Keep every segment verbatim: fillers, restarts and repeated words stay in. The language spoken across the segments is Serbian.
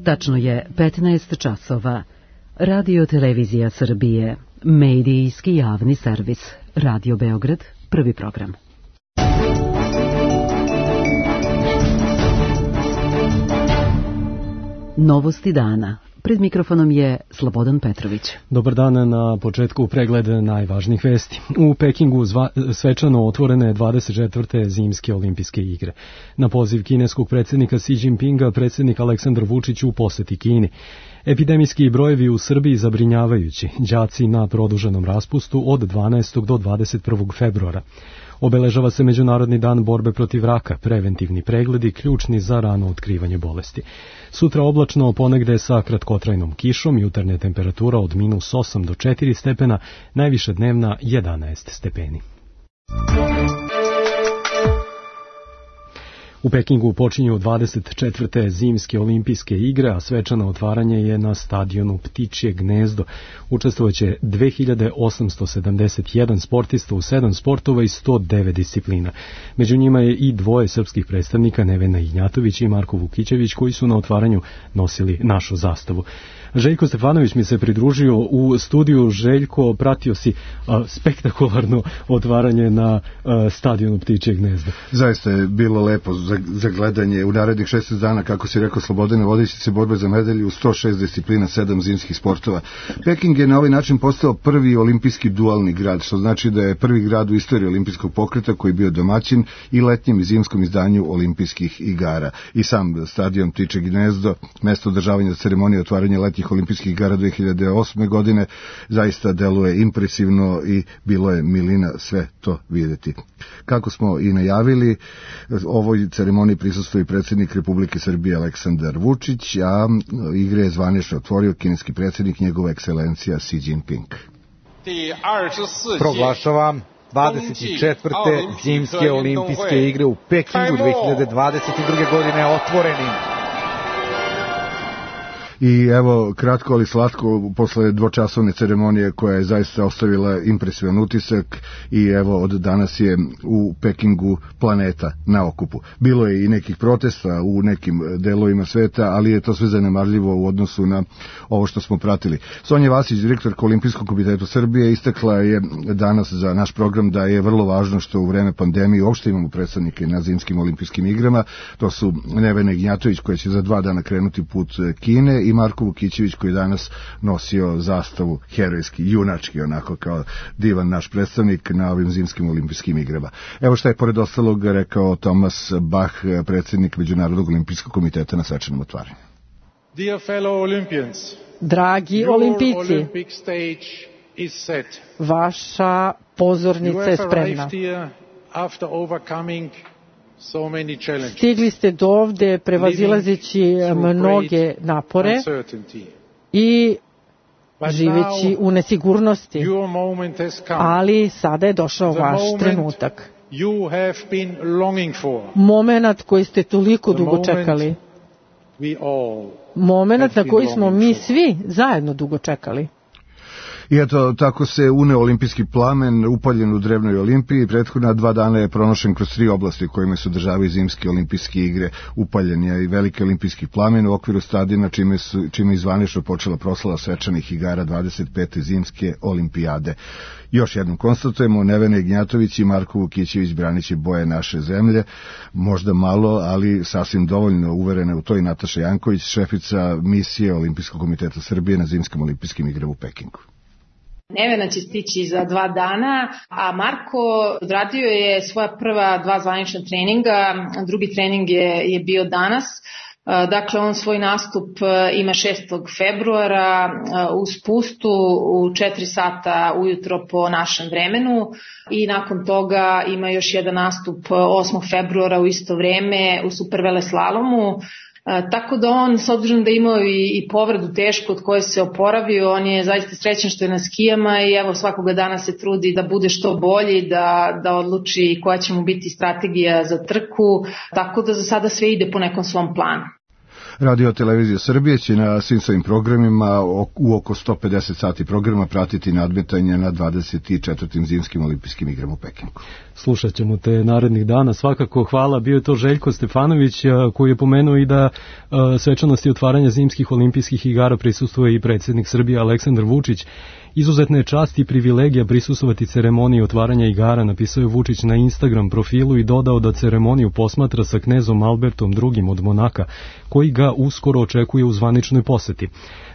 Tačno je petnaest časova. Radio Televizija Srbije, medijski javni servis. Radio Beograd, prvi program. Novosti dana. Pred mikrofonom je Slobodan Petrović. Dobar dan, na početku pregled najvažnijih vesti. U Pekingu zva, svečano otvorene dvadeset četvrte zimske olimpijske igre. Na poziv kineskog predsjednika Xi Jinpinga, predsjednik Aleksandar Vučić u poseti Kini. Epidemijski brojevi u Srbiji zabrinjavajući, đaci na produženom raspustu od dvanaestog do dvadeset prvog februara. Obeležava se Međunarodni dan borbe protiv raka, preventivni pregledi ključni za rano otkrivanje bolesti. Sutra oblačno, ponegde sa kratkotrajnom kišom, jutarnja temperatura od minus osam do četiri stepena, najviša dnevna jedanaest stepeni. U Pekingu počinju dvadeset četvrte zimske olimpijske igre, a svečano otvaranje je na stadionu Ptičje gnezdo. Učestvovaće dve hiljade osamsto sedamdeset jedan sportista u sedam sportova i sto devet disciplina. Među njima je i dvoje srpskih predstavnika, Nevena Ignjatović i Marko Vukićević, koji su na otvaranju nosili našu zastavu. Željko Stefanović mi se pridružio u studiju. Željko, pratio si a, spektakularno otvaranje na a, stadionu Ptičje gnezdo. Zaista je bilo lepo za, za gledanje u narednih šesnaest dana, kako si rekao Slobodane, vodeći se borbe za medalje u sto šest disciplina, sedam zimskih sportova. Peking je na ovaj način postao prvi olimpijski dualni grad, što znači da je prvi grad u istoriji olimpijskog pokreta koji je bio domaćin i letnjem i zimskom izdanju olimpijskih igara. I sam stadion Ptičje gnezdo, mesto održavanja ceremonije otvaranja letnjih olimpijskih igara dve hiljade osme godine, zaista deluje impresivno i bilo je milina sve to vidjeti. Kako smo i najavili, ovoj ceremoniji prisustvuje i predsjednik Republike Srbije Aleksandar Vučić, a igre je zvanično otvorio kineski predsjednik, njegova ekscelencija Xi Jinping. Proglašavam dvadeset četvrte zimske olimpijske igre u Pekingu dve hiljade dvadeset druge. godine otvorenim. I evo, kratko ali slatko, posle dvočasovne ceremonije koja je zaista ostavila impresivan utisak, i evo, od danas je u Pekingu planeta na okupu. Bilo je i nekih protesta u nekim delovima sveta, ali je to sve zanemarljivo u odnosu na ovo što smo pratili. Sonja Vasić, direktorka Olimpijskog komiteta Srbije, istakla je danas za naš program da je vrlo važno što u vreme pandemije uopšte imamo predstavnike na zimskim olimpijskim igrama. To su Nevena Ignjatović, koja će za dva dana krenuti put Kine, i Marko Vukićević, koji danas nosio zastavu herojski, junački, onako kao divan naš predstavnik na ovim zimskim olimpijskim igrama. Evo šta je pored ostalog rekao Thomas Bach, predsjednik Međunarodnog olimpijskog komiteta na svečanom otvaranju. Dragi olimpijci, vaša pozornica je spremna. Stigli ste do ovde prevazilazeći mnoge napore i živeći u nesigurnosti, ali sada je došao vaš trenutak. Momenat koji ste toliko dugo čekali. Momenat na koji smo mi svi zajedno dugo čekali. I eto, tako se uneo olimpijski plamen upaljen u drevnoj Olimpiji. Prethodna dva dana je pronošen kroz tri oblasti kojima se održavaju zimske olimpijske igre. Upaljen je i veliki olimpijski plamen u okviru stadiona, čime, su, čime je zvanično počela proslava svečanih igara dvadeset pete zimske olimpijade. Još jednom konstatujemo, Nevena Ignjatović i Marko Vukićević braniće boje naše zemlje, možda malo, ali sasvim dovoljno uverene u to i Nataša Janković, šefica misije Olimpijskog komiteta Srbije na zimskim olimpijskim igrama u Pekingu. Nevena će stići za dva dana, a Marko odradio je svoja prva dva zvanična treninga, drugi trening je, je bio danas. Dakle, on svoj nastup ima šestog februara u spustu u četiri sata ujutro po našem vremenu, i nakon toga ima još jedan nastup osmog februara u isto vreme u superveleslalomu. E, tako da on, s obzirom da je imao i, i povredu tešku od koje se oporavio, on je zaista srećan što je na skijama i evo svakoga dana se trudi da bude što bolji, da, da odluči koja će mu biti strategija za trku, tako da za sada sve ide po nekom svom planu. Radio Televizija Srbije će na svim svojim programima u oko sto pedeset sati programa pratiti nadmetanje na dvadeset četvrtim zimskim olimpijskim igrama u Pekingu. Slušat ćemo te narednih dana, svakako hvala. Bio je to Željko Stefanović koji je pomenuo i da svečanosti otvaranja zimskih olimpijskih igara prisustvuje i predsjednik Srbije Aleksandar Vučić. Izuzetna je čast i privilegija prisustvovati ceremoniji otvaranja igara, napisao je Vučić na Instagram profilu i dodao da ceremoniju posmatra sa knezom Albertom drugim od Monaka, koji ga uskoro očekuje u zvaničnoj poseti.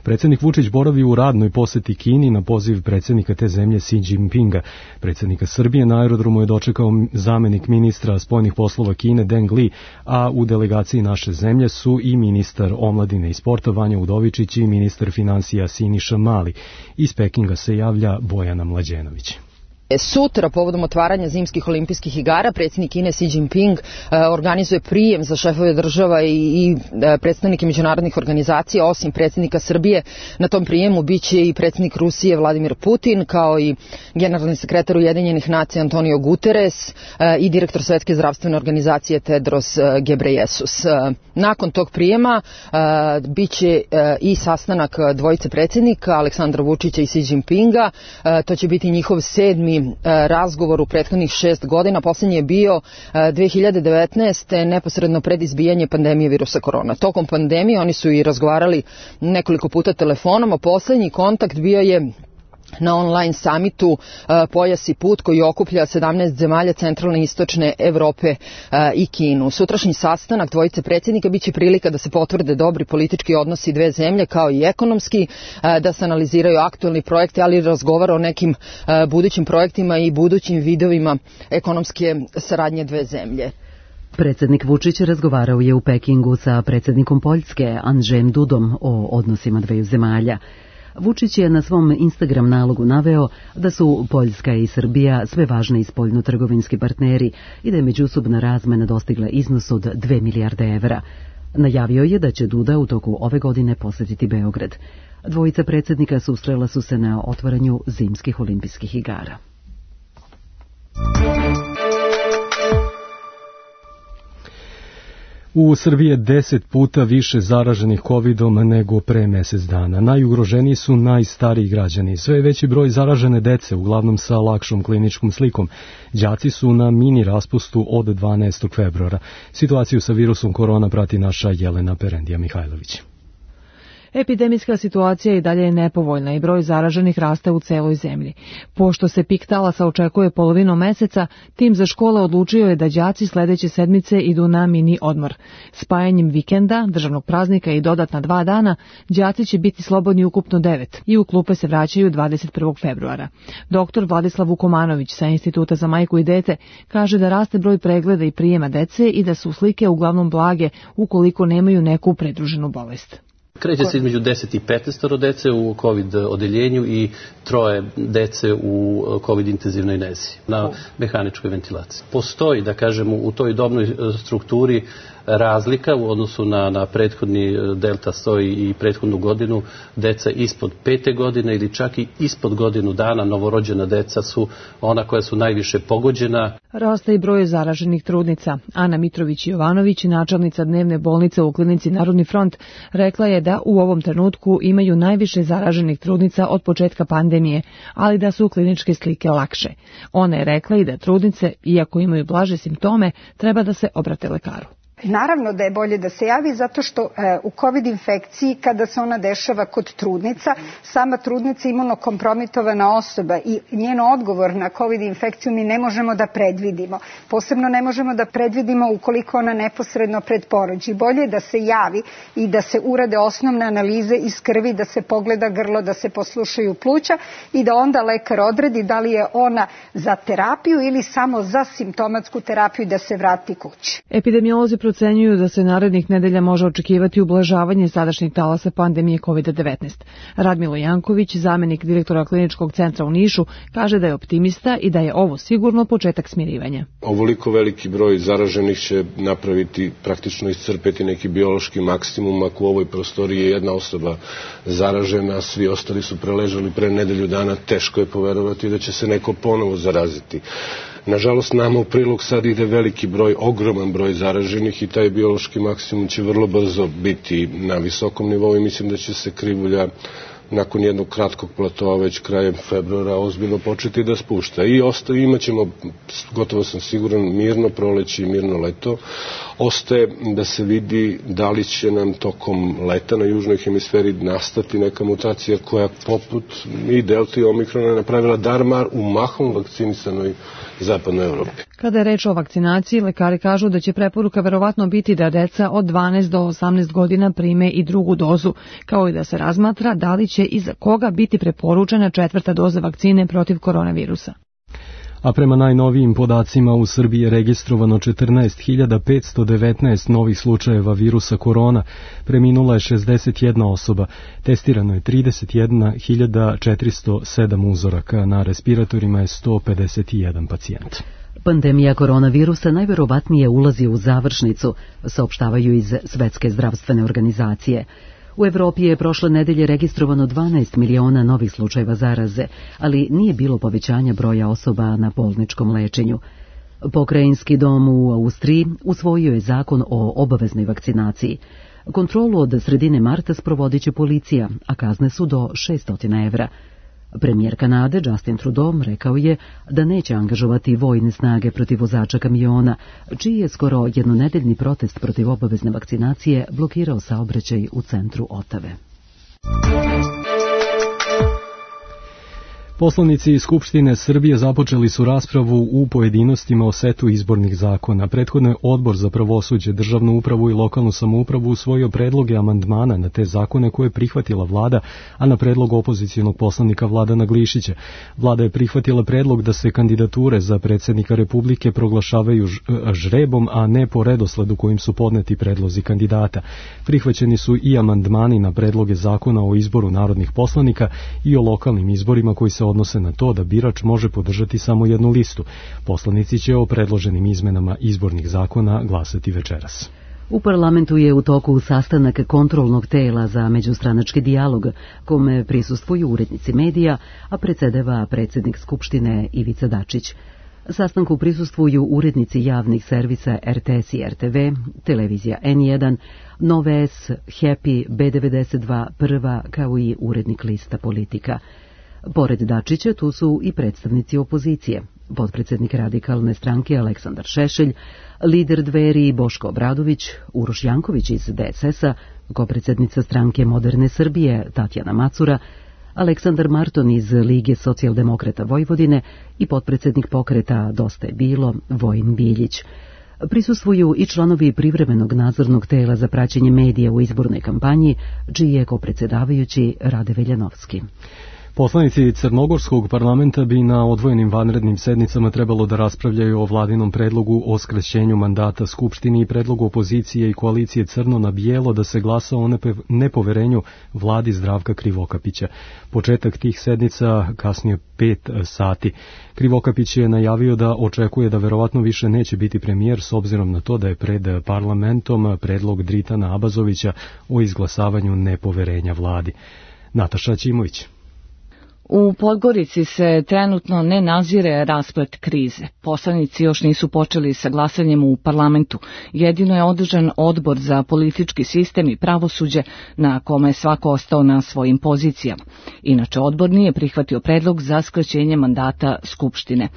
Predsjednik Vučić boravi u radnoj poseti Kini na poziv predsjednika te zemlje Xi Jinpinga. Predsjednika Srbije na aerodromu je dočekao zamenik ministra spoljnih poslova Kine Deng Li, a u delegaciji naše zemlje su i ministar omladine i sporta Vanja Udovičić i ministar financija Siniša Mali. Iz Pekinga se javlja Bojana Mlađenović. Sutra, povodom otvaranja zimskih olimpijskih igara, predsjednik Kine Xi Jinping organizuje prijem za šefove država i predstavnike međunarodnih organizacija. Osim predsjednika Srbije, na tom prijemu biće i predsjednik Rusije Vladimir Putin, kao i generalni sekretar Ujedinjenih nacija Antonio Guterres i direktor Svetske zdravstvene organizacije Tedros Ghebreyesus. Nakon tog prijema biće i sastanak dvojice predsjednika, Aleksandra Vučića i Xi Jinpinga. To će biti njihov sedmi razgovor u prethodnih šest godina. Posljednji je bio dve hiljade devetnaeste. neposredno pred izbijanje pandemije virusa korona. Tokom pandemije oni su i razgovarali nekoliko puta telefonom, a posljednji kontakt bio je na online samitu uh, Pojas i put, koji okuplja sedamnaest zemalja centralne i istočne Evrope uh, i Kinu. Sutrašnji sastanak dvojice predsjednika biće prilika da se potvrde dobri politički odnosi dve zemlje, kao i ekonomski, uh, da se analiziraju aktualni projekti, ali i razgovara o nekim uh, budućim projektima i budućim vidovima ekonomske saradnje dve zemlje. Predsjednik Vučić razgovarao je u Pekingu sa predsjednikom Poljske Andžejem Dudom o odnosima dveju zemalja. Vučić je na svom Instagram nalogu naveo da su Poljska i Srbija sve važniji spoljno-trgovinski partneri i da je međusobna razmena dostigla iznos od dve milijarde evra. Najavio je da će Duda u toku ove godine posjetiti Beograd. Dvojica predsjednika susrela su se na otvaranju zimskih olimpijskih igara. U Srbiji je deset puta više zaraženih kovidom nego pre mjesec dana. Najugroženiji su najstariji građani. Sve veći broj zaražene dece, uglavnom sa lakšom kliničkom slikom. Đaci su na mini raspustu od dvanaestog februara. Situaciju sa virusom korona prati naša Jelena Perendija Mihajlović. Epidemijska situacija i dalje je nepovoljna i broj zaraženih raste u celoj zemlji. Pošto se pik talasa očekuje polovinom meseca, tim za škole odlučio je da đaci sledeće sedmice idu na mini odmor. Spajanjem vikenda, državnog praznika i dodatna dva dana, đaci će biti slobodni ukupno devet i u klupe se vraćaju dvadeset prvog februara. Doktor Vladislav Vukomanović sa Instituta za majku i dete kaže da raste broj pregleda i prijema dece i da su slike uglavnom blage ukoliko nemaju neku pridruženu bolest. Kreće se između deset i petnaest dece u COVID odeljenju i troje dece u COVID intenzivnoj nezi na mehaničkoj ventilaciji. Postoji, da kažemo, u toj dobnoj strukturi razlika u odnosu na, na prethodni delta sto i prethodnu godinu. Deca ispod pete godine ili čak i ispod godinu dana novorođena deca su ona koja su najviše pogođena. Raste i broj zaraženih trudnica. Ana Mitrović-Jovanović, načelnica dnevne bolnice u klinici Narodni front, rekla je da u ovom trenutku imaju najviše zaraženih trudnica od početka pandemije, ali da su kliničke slike lakše. Ona je rekla i da trudnice, iako imaju blaže simptome, treba da se obrate lekaru. Naravno da je bolje da se javi zato što e, u COVID infekciji kada se ona dešava kod trudnica, sama trudnica je imunokompromitovana osoba i njen odgovor na COVID infekciju mi ne možemo da predvidimo. Posebno ne možemo da predvidimo ukoliko ona neposredno pred porođaj. Bolje je da se javi i da se urade osnovne analize iz krvi, da se pogleda grlo, da se poslušaju pluća i da onda lekar odredi da li je ona za terapiju ili samo za simptomatsku terapiju da se vrati kući. Epidemiolozi procenjuju da se narednih nedelja može očekivati ublažavanje sadašnjeg talasa pandemije kovid devetnaest. Radmilo Janković, zamenik direktora kliničkog centra u Nišu, kaže da je optimista i da je ovo sigurno početak smirivanja. Ovoliko veliki broj zaraženih će napraviti, praktično iscrpeti neki biološki maksimum. Ako u ovoj prostoriji je jedna osoba zaražena, svi ostali su preležali pre nedelju dana, teško je poverovati da će se neko ponovo zaraziti. Nažalost, nama u prilog sad ide veliki broj, ogroman broj zaraženih i taj biološki maksimum će vrlo brzo biti na visokom nivou i mislim da će se krivulja nakon jednog kratkog platoa već krajem februara ozbiljno početi da spušta. I ostaje, imat ćemo, gotovo sam siguran, mirno proleće i mirno leto. Ostaje da se vidi da li će nam tokom leta na južnoj hemisferi nastati neka mutacija koja poput i delta i omikrona napravila darmar u mahom vakcinisanoj zapadnoj Evropi. Kada je reč o vakcinaciji, lekari kažu da će preporuka verovatno biti da deca od dvanaest do osamnaest godina prime i drugu dozu, kao i da se razmatra da li će i za koga biti preporučena četvrta doza vakcine protiv koronavirusa. A prema najnovijim podacima u Srbiji je registrovano četrnaest hiljada petsto devetnaest novih slučajeva virusa korona, preminula je šezdeset jedna osoba, testirano je trideset jedna hiljada četiristo sedam uzoraka, na respiratorima je sto pedeset jedan pacijent. Pandemija koronavirusa najverovatnije ulazi u završnicu, saopštavaju iz Svetske zdravstvene organizacije. U Evropi je prošle nedelje registrovano dvanaest miliona novih slučajeva zaraze, ali nije bilo povećanja broja osoba na bolničkom lečenju. Pokrajinski dom u Austriji usvojio je zakon o obaveznoj vakcinaciji. Kontrolu od sredine marta sprovodit će policija, a kazne su do šesto evra. Premijer Kanade Justin Trudeau rekao je da neće angažovati vojne snage protiv vozača kamiona, čiji je skoro jednonedeljni protest protiv obavezne vakcinacije blokirao saobraćaj u centru Otave. Poslanici Skupštine Srbije započeli su raspravu u pojedinostima o setu izbornih zakona. Prethodno je Odbor za pravosuđe, državnu upravu i lokalnu samoupravu usvojio predloge amandmana na te zakone koje je prihvatila vlada, a na predlog opozicionog poslanika Vladana Glišića. Vlada je prihvatila predlog da se kandidature za predsjednika Republike proglašavaju žrebom, a ne po redosledu kojim su podneti predlozi kandidata. Prihvaćeni su i amandmani na predloge zakona o izboru narodnih poslanika i o lokalnim izborima koji se odnose na to da birač može podržati samo jednu listu. Poslanici će o predloženim izmenama izbornih zakona glasati večeras. U parlamentu je u toku sastanak kontrolnog tela za međustranački dijalog, kome prisustvuju urednici medija, a predsedava predsjednik Skupštine Ivica Dačić. Sastanku prisustvuju urednici javnih servisa R T S i R T V, televizija N jedan, Nove S, Happy, B devedeset dva, Prva, kao i urednik lista Politika. Pored Dačića tu su i predstavnici opozicije, potpredsjednik Radikalne stranke Aleksandar Šešelj, lider Dveri Boško Obradović, Uroš Janković iz D S S-a, kopredsednica stranke Moderne Srbije Tatjana Macura, Aleksandar Marton iz Lige socijaldemokrata Vojvodine i potpredsjednik pokreta Dosta je bilo Vojin Biljić. Prisustvuju i članovi privremenog nadzornog tela za praćenje medija u izbornoj kampanji, čiji je kopredsedavajući Rade Veljanovski. Poslanici Crnogorskog parlamenta bi na odvojenim vanrednim sednicama trebalo da raspravljaju o vladinom predlogu o skraćenju mandata Skupštini i predlogu opozicije i koalicije Crno na bijelo da se glasa o nepoverenju vladi Zdravka Krivokapića. Početak tih sednica kasnije pet sati. Krivokapić je najavio da očekuje da verovatno više neće biti premijer s obzirom na to da je pred parlamentom predlog Dritana Abazovića o izglasavanju nepoverenja vladi. Nataša Ćimović. U Podgorici se trenutno ne nazire rasplet krize. Poslanici još nisu počeli sa glasanjem u parlamentu. Jedino je održan odbor za politički sistem i pravosuđe na kome je svako ostao na svojim pozicijama. Inače, odbor nije prihvatio predlog za skraćenje mandata Skupštine.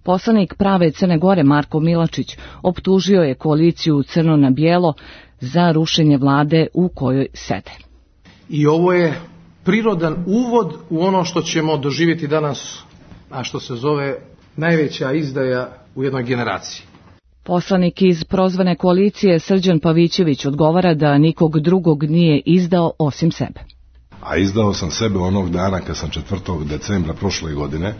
Poslanik Prave Crne Gore Marko Milačić optužio je koaliciju Crno na bijelo za rušenje vlade u kojoj sede. I ovo je prirodan uvod u ono što ćemo doživjeti danas, a što se zove najveća izdaja u jednoj generaciji. Poslanik iz prozvane koalicije Srđan Pavićević odgovara da nikog drugog nije izdao osim sebe. A izdao sam sebe onog dana kad sam četvrtog decembra prošle godine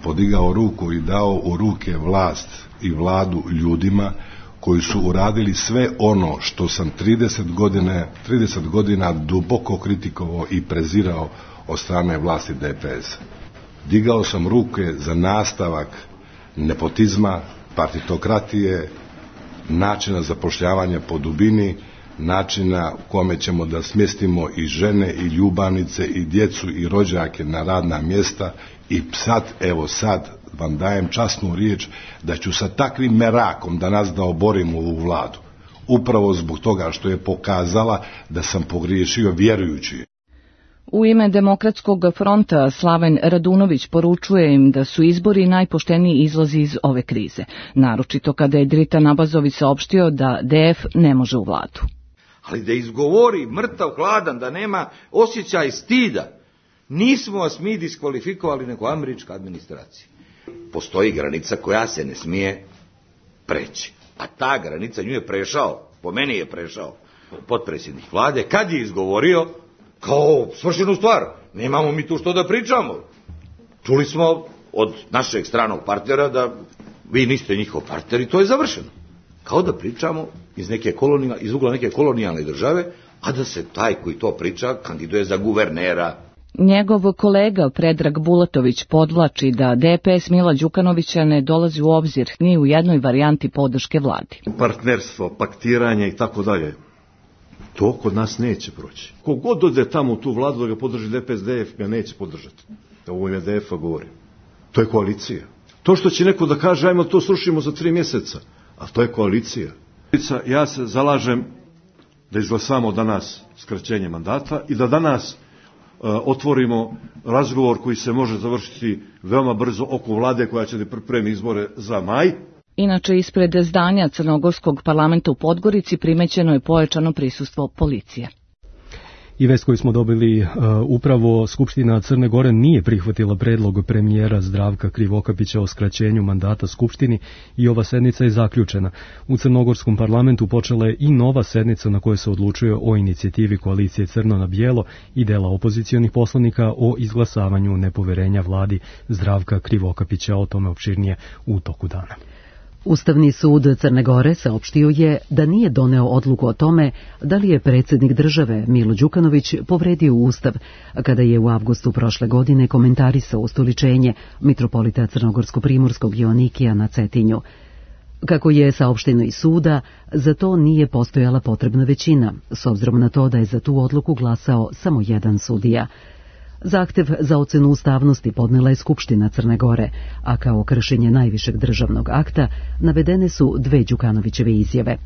podigao ruku i dao u ruke vlast i vladu ljudima koji su uradili sve ono što sam trideset godina, trideset godina duboko kritikovao i prezirao od strane vlasti D P S. Digao sam ruke za nastavak nepotizma, partitokratije, načina zapošljavanja po dubini, načina u kome ćemo da smjestimo i žene i ljubavnice i djecu i rođake na radna mjesta i sad, evo sad, vam dajem časnu riječ da ću sa takvim merakom da nas da oborimo ovu vladu. Upravo zbog toga što je pokazala da sam pogriješio vjerujući. U ime Demokratskog fronta Slaven Radunović poručuje im da su izbori najpošteniji izlazi iz ove krize, naročito kada je Dritan Abazović saopštio da D F ne može u vladu. Ali da izgovori mrtav hladan, da nema osjećaj stida, nismo vas mi diskvalifikovali nego američka administracija. Postoji granica koja se ne smije preći, a ta granica nju je prešao, po meni je prešao potpredsjednik vlade, kad je izgovorio kao svršenu stvar, nemamo mi tu što da pričamo. Čuli smo od našeg stranog partnera da vi niste njihov partner i to je završeno. Kao da pričamo iz, neke kolonija, iz ugla neke kolonijalne države, a da se taj koji to priča kandiduje za guvernera. Njegov kolega Predrag Bulatović podvlači da D P S Mila Đukanovića ne dolazi u obzir ni u jednoj varijanti podrške vladi. Partnerstvo, paktiranje i tako dalje. To kod nas neće proći. Kogod ode tamo u tu vladu da ga podrži D P S, D F ga neće podržati. Da ovo ime D F-a govorim. To je koalicija. To što će neko da kaže, ajmo to srušimo za tri mjeseca, a to je koalicija. Ja se zalažem da izglasamo danas skraćenje mandata i da danas uh, otvorimo razgovor koji se može završiti veoma brzo oko vlade koja će da pripremi izbore za maj. Inače, ispred zdanja Crnogorskog parlamenta u Podgorici primećeno je pojačano prisustvo policije. I vest koju smo dobili, uh, upravo Skupština Crne Gore nije prihvatila predlog premijera Zdravka Krivokapića o skraćenju mandata Skupštini i ova sednica je zaključena. U Crnogorskom parlamentu počela je i nova sednica na kojoj se odlučuje o inicijativi koalicije Crno na bijelo i dela opozicionih poslanika o izglasavanju nepoverenja vladi Zdravka Krivokapića. O tome opširnije u toku dana. Ustavni sud Crne Gore saopštio je da nije doneo odluku o tome da li je predsjednik države Milo Đukanović povredio Ustav kada je u avgustu prošle godine komentarisao ustoličenje mitropolita Crnogorsko-Primorskog Joanikija na Cetinju. Kako je saopšteno iz suda, za to nije postojala potrebna većina, s obzirom na to da je za tu odluku glasao samo jedan sudija. Zahtev za ocenu ustavnosti podnela je Skupština Crne Gore, a kao kršenje najvišeg državnog akta navedene su dve Đukanovićeve izjave.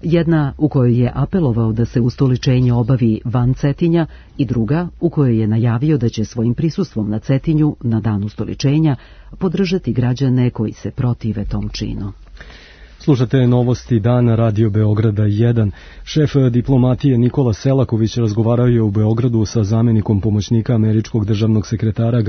Jedna u kojoj je apelovao da se ustoličenje obavi van Cetinja i druga u kojoj je najavio da će svojim prisustvom na Cetinju na dan ustoličenja podržati građane koji se protive tom činu. Slušate novosti dana Radio Beograda jedan. Šef diplomatije Nikola Selaković razgovarao je u Beogradu sa zamjenikom pomoćnika američkog državnog sekretara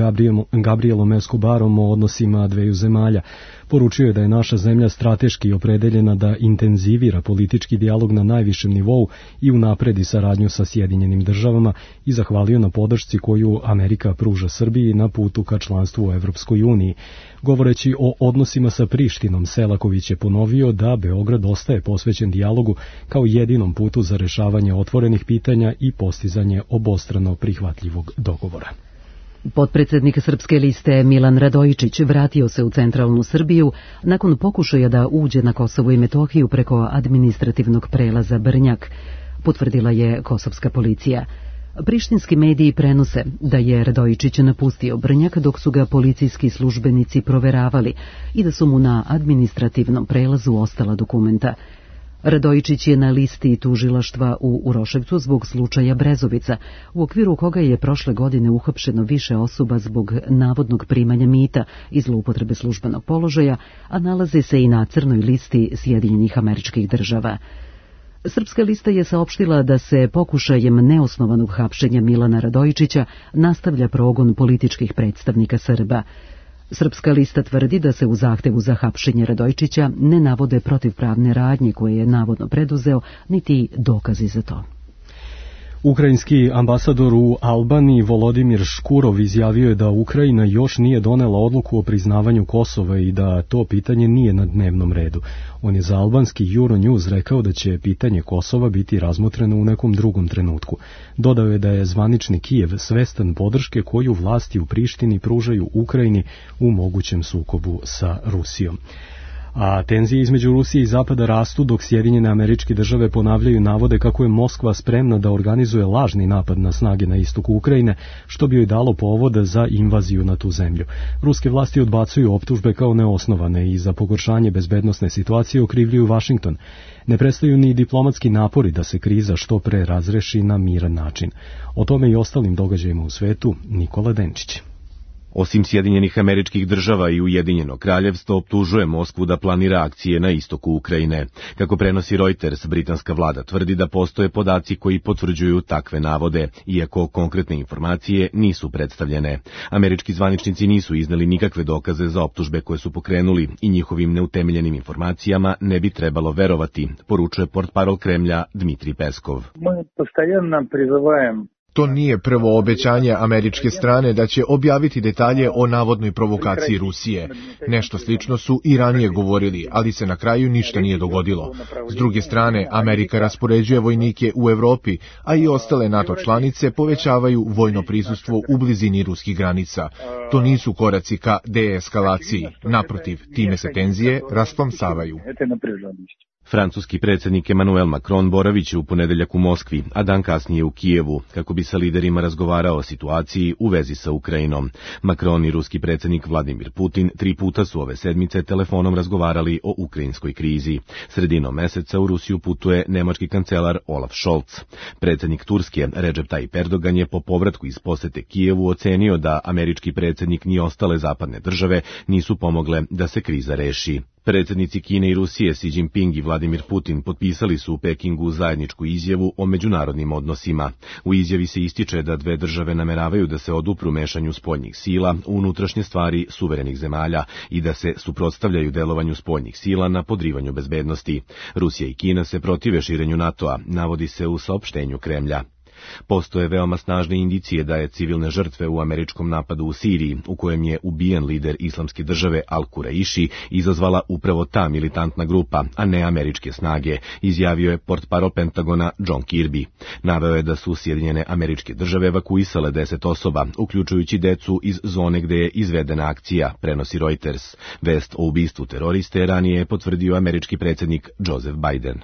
Gabrielom Escobarom o odnosima dveju zemalja. Poručio je da je naša zemlja strateški opredeljena da intenzivira politički dijalog na najvišem nivou i unapredi saradnju sa Sjedinjenim državama i zahvalio na podršci koju Amerika pruža Srbiji na putu ka članstvu u Evropskoj uniji. Govoreći o odnosima sa Prištinom, Selaković je ponovio da Beograd ostaje posvećen dijalogu kao jedinom putu za rešavanje otvorenih pitanja i postizanje obostrano prihvatljivog dogovora. Potpredsjednik Srpske liste Milan Radojičić vratio se u centralnu Srbiju nakon pokušaja da uđe na Kosovo i Metohiju preko administrativnog prelaza Brnjak, potvrdila je kosovska policija. Prištinski mediji prenose da je Radojičić napustio Brnjak dok su ga policijski službenici proveravali i da su mu na administrativnom prelazu ostala dokumenta. Radojičić je na listi tužilaštva u Uroševcu zbog slučaja Brezovica, u okviru koga je prošle godine uhapšeno više osoba zbog navodnog primanja mita i zloupotrebe službenog položaja, a nalaze se i na crnoj listi Sjedinjenih Američkih Država. Srpska lista je saopštila da se pokušajem neosnovanog hapšenja Milana Radojičića nastavlja progon političkih predstavnika Srba. Srpska lista tvrdi da se u zahtevu za hapšenje Radojičića ne navode protivpravne radnje koje je navodno preduzeo, niti dokazi za to. Ukrajinski ambasador u Albaniji Volodimir Škurov izjavio je da Ukrajina još nije donela odluku o priznavanju Kosova i da to pitanje nije na dnevnom redu. On je za albanski Euronews rekao da će pitanje Kosova biti razmotreno u nekom drugom trenutku. Dodao je da je zvanični Kijev svestan podrške koju vlasti u Prištini pružaju Ukrajini u mogućem sukobu sa Rusijom. A tenzije između Rusije i Zapada rastu dok Sjedinjene Američke Države ponavljaju navode kako je Moskva spremna da organizuje lažni napad na snage na istoku Ukrajine, što bi joj dalo povod za invaziju na tu zemlju. Ruske vlasti odbacuju optužbe kao neosnovane i za pogoršanje bezbednosne situacije okrivljuju Vašington. Ne prestaju ni diplomatski napori da se kriza što pre razreši na miran način. O tome i ostalim događajima u svetu Nikola Denčić. Osim Sjedinjenih Američkih Država i Ujedinjeno Kraljevstvo optužuje Moskvu da planira akcije na istoku Ukrajine. Kako prenosi Reuters, britanska vlada tvrdi da postoje podaci koji potvrđuju takve navode, iako konkretne informacije nisu predstavljene. Američki zvaničnici nisu izneli nikakve dokaze za optužbe koje su pokrenuli i njihovim neutemeljenim informacijama ne bi trebalo verovati, poručuje portparol Kremlja Dmitrij Peskov. Mi postojanno prizivajemo. To nije prvo obećanje američke strane da će objaviti detalje o navodnoj provokaciji Rusije. Nešto slično su i ranije govorili, ali se na kraju ništa nije dogodilo. S druge strane, Amerika raspoređuje vojnike u Evropi, a i ostale NATO članice povećavaju vojno prisustvo u blizini ruskih granica. To nisu koraci ka deeskalaciji. Naprotiv, time se tenzije rasplamsavaju. Francuski predsjednik Emmanuel Macron boraviće u ponedeljak u Moskvi, a dan kasnije u Kijevu, kako bi sa liderima razgovarao o situaciji u vezi sa Ukrajinom. Macron i ruski predsjednik Vladimir Putin tri puta su ove sedmice telefonom razgovarali o ukrajinskoj krizi. Sredinom meseca u Rusiju putuje nemački kancelar Olaf Scholz. Predsjednik Turske Recep Tayyip Erdogan je po povratku iz posete Kijevu ocenio da američki predsjednik ni ostale zapadne države nisu pomogle da se kriza reši. Predsjednici Kine i Rusije Xi Jinping i Vladimir Putin potpisali su u Pekingu zajedničku izjavu o međunarodnim odnosima. U izjavi se ističe da dve države nameravaju da se odupru mešanju spoljnih sila u unutrašnje stvari suverenih zemalja i da se suprotstavljaju delovanju spoljnih sila na podrivanju bezbednosti. Rusija i Kina se protive širenju NATO-a, navodi se u saopštenju Kremlja. Postoje veoma snažne indicije da je civilne žrtve u američkom napadu u Siriji, u kojem je ubijen lider islamske države Al-Kuraiši, izazvala upravo ta militantna grupa, a ne američke snage, izjavio je portparol Pentagona John Kirby. Naveo je da su Sjedinjene Američke Države evakuisale deset osoba, uključujući decu iz zone gde je izvedena akcija, prenosi Reuters. Vest o ubistvu teroriste ranije je potvrdio američki predsjednik Joseph Biden.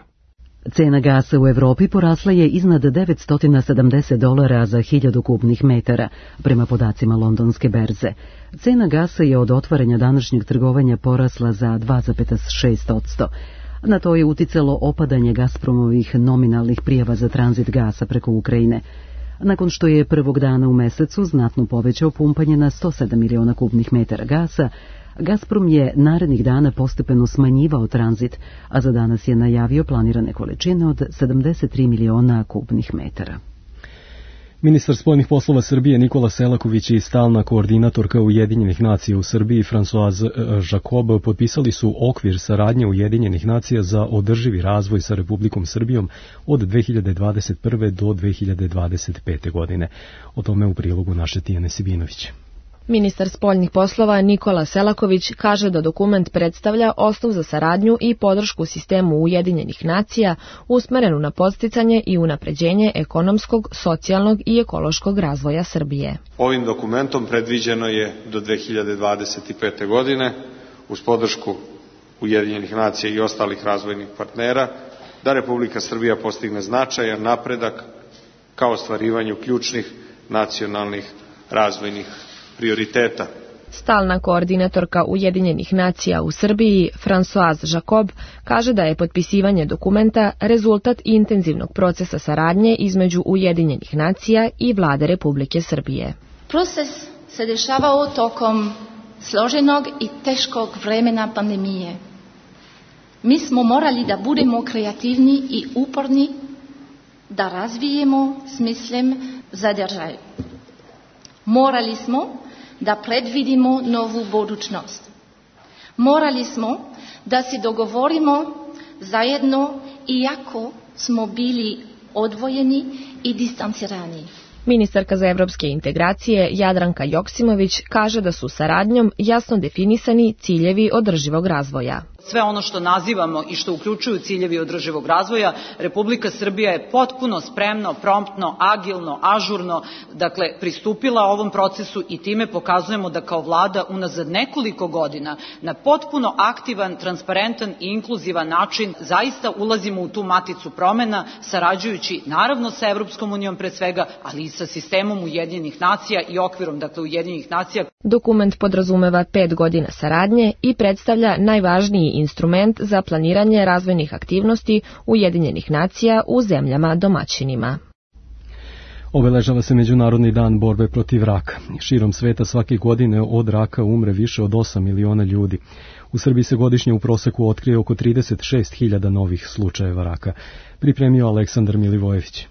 Cena gasa u Evropi porasla je iznad devetsto sedamdeset dolara za hiljadu kubnih metara, prema podacima londonske berze. Cena gasa je od otvaranja današnjeg trgovanja porasla za dva zarez šest posto. Na to je uticalo opadanje Gazpromovih nominalnih prijava za tranzit gasa preko Ukrajine. Nakon što je prvog dana u mesecu znatno povećao pumpanje na sto sedam miliona kubnih metara gasa, Gazprom je narednih dana postepeno smanjivao tranzit, a za danas je najavio planirane količine od sedamdeset tri miliona kubnih metara. Ministar spoljnih poslova Srbije Nikola Selaković i stalna koordinatorka Ujedinjenih nacija u Srbiji Françoise Jacob potpisali su okvir saradnje Ujedinjenih nacija za održivi razvoj sa Republikom Srbijom od dve hiljade dvadeset prve do dve hiljade dvadeset pete godine. O tome u prilogu naše Tijane Sibinović. Ministar spoljnih poslova Nikola Selaković kaže da dokument predstavlja osnov za saradnju i podršku sistemu Ujedinjenih nacija usmerenu na podsticanje i unapređenje ekonomskog, socijalnog i ekološkog razvoja Srbije. Ovim dokumentom predviđeno je do dve hiljade dvadeset pete. godine uz podršku Ujedinjenih nacija i ostalih razvojnih partnera da Republika Srbija postigne značajan napredak ka ostvarivanju ključnih nacionalnih razvojnih prioriteta. Stalna koordinatorka Ujedinjenih nacija u Srbiji, Françoise Jacob, kaže da je potpisivanje dokumenta rezultat intenzivnog procesa saradnje između Ujedinjenih nacija i vlade Republike Srbije. Proces se dešavao tokom složenog i teškog vremena pandemije. Mi smo morali da budemo kreativni i uporni, da razvijemo smislem zadržaj. Morali smo da predvidimo novu budućnost. Morali smo da se dogovorimo zajedno iako smo bili odvojeni i distancirani. Ministarka za evropske integracije Jadranka Joksimović kaže da su saradnjom jasno definisani ciljevi održivog razvoja. Sve ono što nazivamo i što uključuju ciljevi održivog razvoja, Republika Srbija je potpuno spremno, promptno, agilno, ažurno, dakle, pristupila ovom procesu i time pokazujemo da kao vlada unazad nekoliko godina na potpuno aktivan, transparentan i inkluzivan način zaista ulazimo u tu maticu promena, sarađujući naravno sa Evropskom unijom pre svega, ali i sa sistemom Ujedinjenih nacija i okvirom, dakle, Ujedinjenih nacija. Dokument podrazumeva pet godina saradnje i predstavlja najvažniji instrument za planiranje razvojnih aktivnosti Ujedinjenih nacija u zemljama domaćinima. Obeležava se Međunarodni dan borbe protiv raka. Širom sveta svake godine od raka umre više od osam miliona ljudi. U Srbiji se godišnje u proseku otkrije oko trideset šest hiljada novih slučajeva raka. Pripremio Aleksandar Milivojević.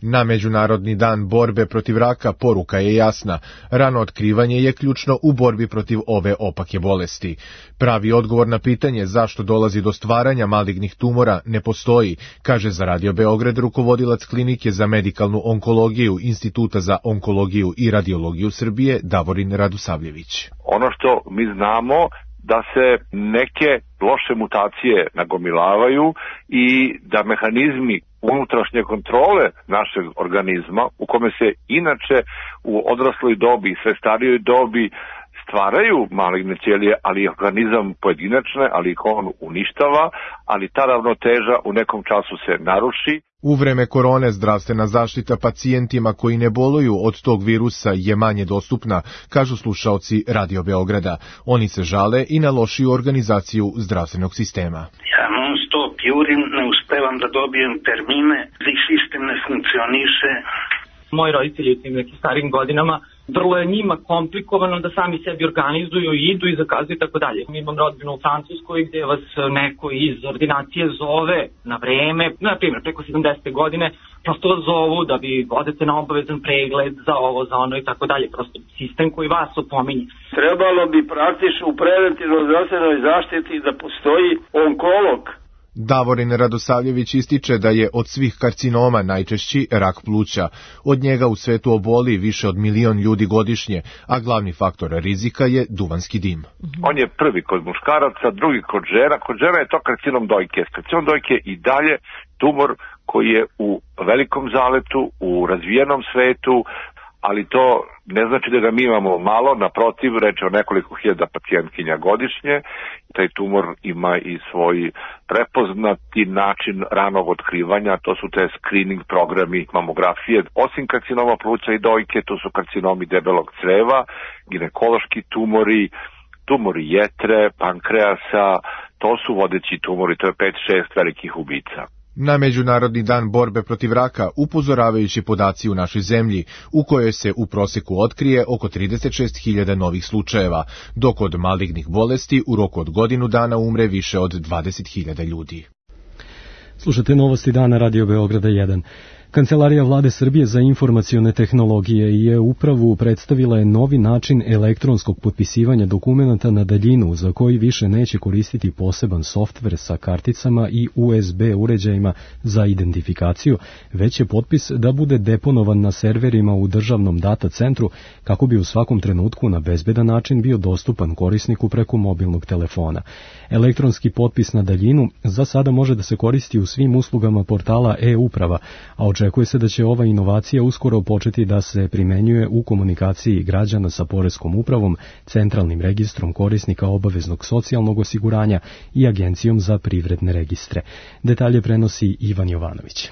Na Međunarodni dan borbe protiv raka poruka je jasna. Rano otkrivanje je ključno u borbi protiv ove opake bolesti. Pravi odgovor na pitanje zašto dolazi do stvaranja malignih tumora ne postoji, kaže za Radio Beograd rukovodilac klinike za medikalnu onkologiju Instituta za onkologiju i radiologiju Srbije Davorin Radosavljević. Ono što mi znamo da se neke loše mutacije nagomilavaju i da mehanizmi unutrašnje kontrole našeg organizma, u kome se inače u odrasloj dobi i sve starijoj dobi stvaraju maligne ćelije, ali organizam pojedinačne, ali ih on uništava, ali ta ravnoteža u nekom času se naruši. U vreme korone zdravstvena zaštita pacijentima koji ne boluju od tog virusa je manje dostupna, kažu slušaoci Radio Beograda. Oni se žale i na lošiju organizaciju zdravstvenog sistema. Ja non stop jurim, ne uspevam da dobijem termine, sistem ne funkcioniše. Moji roditelji u tim nekim starim godinama, vrlo je njima komplikovano da sami sebi organizuju i idu i zakazuju i tako dalje. Imam rodbinu u Francuskoj gde vas neko iz ordinacije zove na vreme, na primjer preko sedamdesete godine, prosto vas zovu da vi odete na obavezan pregled za ovo, za ono i tako dalje. Prosto sistem koji vas opominje. Trebalo bi praktično u preventivnoj zdravstvenoj zaštiti da postoji onkolog. Davorin Radosavljević ističe da je od svih karcinoma najčešći rak pluća. Od njega u svetu oboli više od milion ljudi godišnje, a glavni faktor rizika je duvanski dim. On je prvi kod muškaraca, drugi kod žena. Kod žena je to karcinom dojke. Karcinom dojke je i dalje tumor koji je u velikom zaletu, u razvijenom svetu, ali to ne znači da ga mi imamo malo, naprotiv, reč je o nekoliko hiljada pacijentkinja godišnje. Taj tumor ima i svoj prepoznati način ranog otkrivanja, to su te screening programi mamografije. Osim karcinoma pluća i dojke, to su karcinomi debelog creva, ginekološki tumori, tumori jetre, pankreasa, to su vodeći tumori, to je pet šest velikih ubica. Na Međunarodni dan borbe protiv raka upozoravajući podaci u našoj zemlji, u kojoj se u proseku otkrije oko trideset šest hiljada novih slučajeva, dok od malignih bolesti u roku od godinu dana umre više od dvadeset hiljada ljudi. Slušate novosti dana Radio Beograda jedan. Kancelarija Vlade Srbije za informacione tehnologije i e-upravu predstavila je novi način elektronskog potpisivanja dokumenata na daljinu za koji više neće koristiti poseban softver sa karticama i U S B uređajima za identifikaciju, već će potpis da bude deponovan na serverima u državnom data centru kako bi u svakom trenutku na bezbedan način bio dostupan korisniku preko mobilnog telefona. Elektronski potpis na daljinu za sada može da se koristi u svim uslugama portala e-uprava, a očekuje se da će ova inovacija uskoro početi da se primenjuje u komunikaciji građana sa Poreskom upravom, Centralnim registrom korisnika obaveznog socijalnog osiguranja i Agencijom za privredne registre. Detalje prenosi Ivan Jovanović.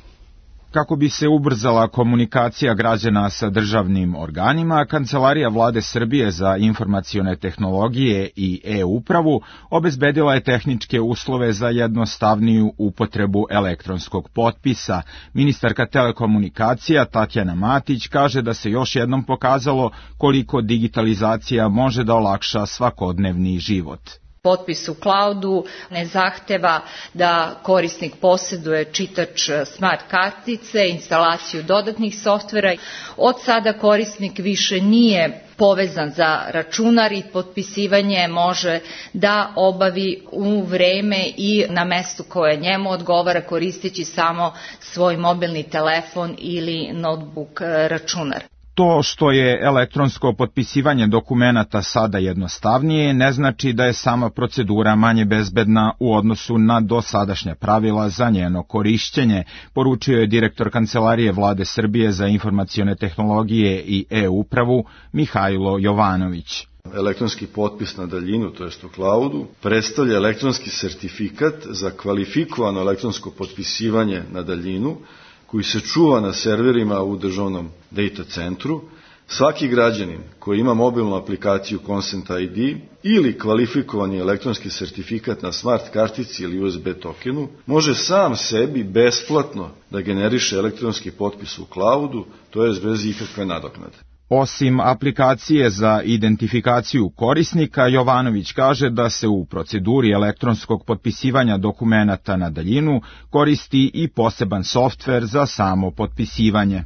Kako bi se ubrzala komunikacija građana sa državnim organima, Kancelarija Vlade Srbije za informacione tehnologije i e-upravu obezbedila je tehničke uslove za jednostavniju upotrebu elektronskog potpisa. Ministarka telekomunikacija Tatjana Matić kaže da se još jednom pokazalo koliko digitalizacija može da olakša svakodnevni život. Potpis u cloudu ne zahteva da korisnik posjeduje čitač smart kartice, instalaciju dodatnih softvera. Od sada korisnik više nije povezan za računar i potpisivanje može da obavi u vreme i na mestu koje njemu odgovara koristeći samo svoj mobilni telefon ili notebook računar. To što je elektronsko potpisivanje dokumenata sada jednostavnije ne znači da je sama procedura manje bezbedna u odnosu na dosadašnja pravila za njeno korišćenje, poručio je direktor Kancelarije Vlade Srbije za informacione tehnologije i e-upravu Mihajlo Jovanović. Elektronski potpis na daljinu, to jest u cloudu, predstavlja elektronski sertifikat za kvalifikovano elektronsko potpisivanje na daljinu, koji se čuva na serverima u državnom data centru. Svaki građanin koji ima mobilnu aplikaciju Consent I D ili kvalifikovani elektronski sertifikat na smart kartici ili U S B tokenu može sam sebi besplatno da generiše elektronski potpis u cloudu, to jest bez ikakve nadoknade. Osim aplikacije za identifikaciju korisnika, Jovanović kaže da se u proceduri elektronskog potpisivanja dokumenata na daljinu koristi i poseban softver za samo potpisivanje.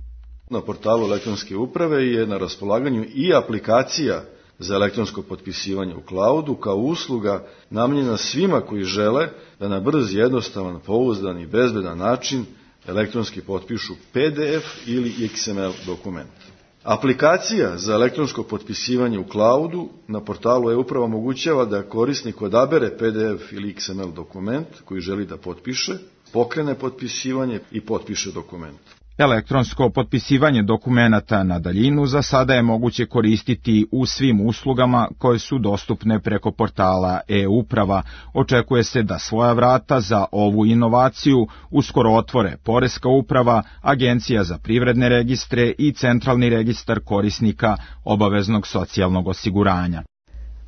Na portalu elektronske uprave je na raspolaganju i aplikacija za elektronsko potpisivanje u cloudu kao usluga namenjena svima koji žele da na brz, jednostavan, pouzdan i bezbedan način elektronski potpišu P D F ili X M L dokument. Aplikacija za elektronsko potpisivanje u cloudu na portalu e-uprava omogućava da korisnik odabere P D F ili X M L dokument koji želi da potpiše, pokrene potpisivanje i potpiše dokument. Elektronsko potpisivanje dokumenata na daljinu za sada je moguće koristiti u svim uslugama koje su dostupne preko portala e-uprava. Očekuje se da svoja vrata za ovu inovaciju uskoro otvore Poreska uprava, Agencija za privredne registre i Centralni registar korisnika obaveznog socijalnog osiguranja.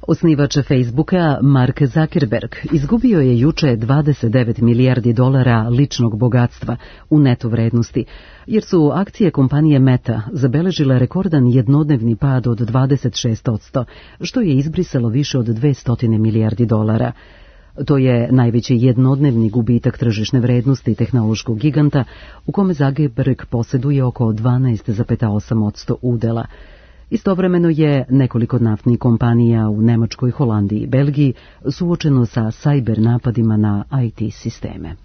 Osnivač Facebooka Mark Zuckerberg izgubio je juče dvadeset devet milijardi dolara ličnog bogatstva u neto vrednosti, jer su akcije kompanije Meta zabeležile rekordan jednodnevni pad od dvadeset šest posto, što je izbrisalo više od dvesta milijardi dolara. To je najveći jednodnevni gubitak tržišne vrednosti tehnološkog giganta, u kome Zuckerberg posjeduje oko dvanaest zarez osam posto udela. Istovremeno je nekoliko naftnih kompanija u Nemačkoj, Holandiji i Belgiji suočeno sa cyber napadima na I T sisteme.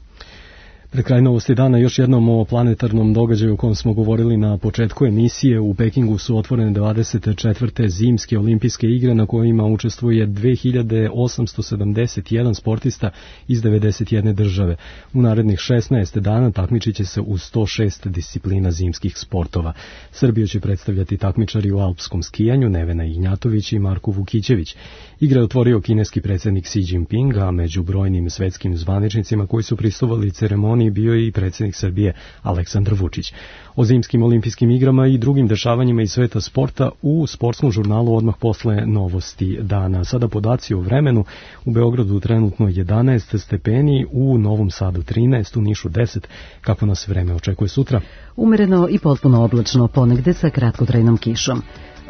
Pred kraj novosti dana još jednom o planetarnom događaju o kojem smo govorili na početku emisije. U Pekingu su otvorene dvadeset četvrte zimske olimpijske igre na kojima učestvuje dve hiljade osamsto sedamdeset jedan sportista iz devedeset jedne države. U narednih šesnaest dana takmičit će se u sto šest disciplina zimskih sportova. Srbiju će predstavljati takmičari u alpskom skijanju Nevena Ignjatović i Marko Vukićević. Igre je otvorio kineski predsjednik Xi Jinping, a među brojnim svetskim zvaničnicima koji su prisustvovali ceremoniji bio je i predsjednik Srbije Aleksandar Vučić. O zimskim olimpijskim igrama i drugim dešavanjima iz sveta sporta u sportskom žurnalu odmah posle novosti dana. Sada podaci o vremenu: u Beogradu trenutno jedanaest stepeni, u Novom Sadu trinaest, u Nišu deset. Kako nas vreme očekuje sutra? Umereno i potpuno oblačno, ponegde sa kratkotrajnom kišom.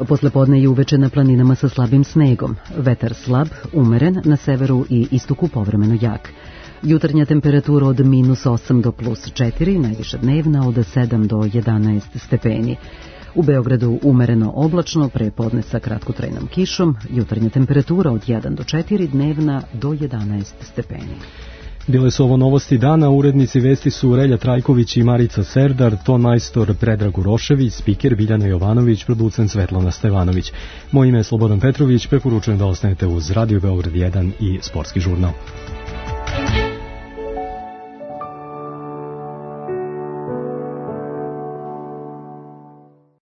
Poslepodne i uveče na planinama sa slabim snegom. Vetar slab, umeren, na severu i istoku povremeno jak. Jutarnja temperatura od minus osam do plus četiri, najviša dnevna od sedam do jedanaest stepeni. U Beogradu umereno oblačno, prepodne sa kratkotrajnom kišom, jutarnja temperatura od jedan do četiri, dnevna do jedanaest stepeni. Bile su ovo novosti dana, urednici vesti su Relja Trajković i Marica Serdar, ton majstor Predrag Urošević, spiker Biljana Jovanović, producent Svetlana Stevanović. Moje ime je Slobodan Petrović, preporučujem da ostanete uz Radio Beograd jedan i Sportski žurnal.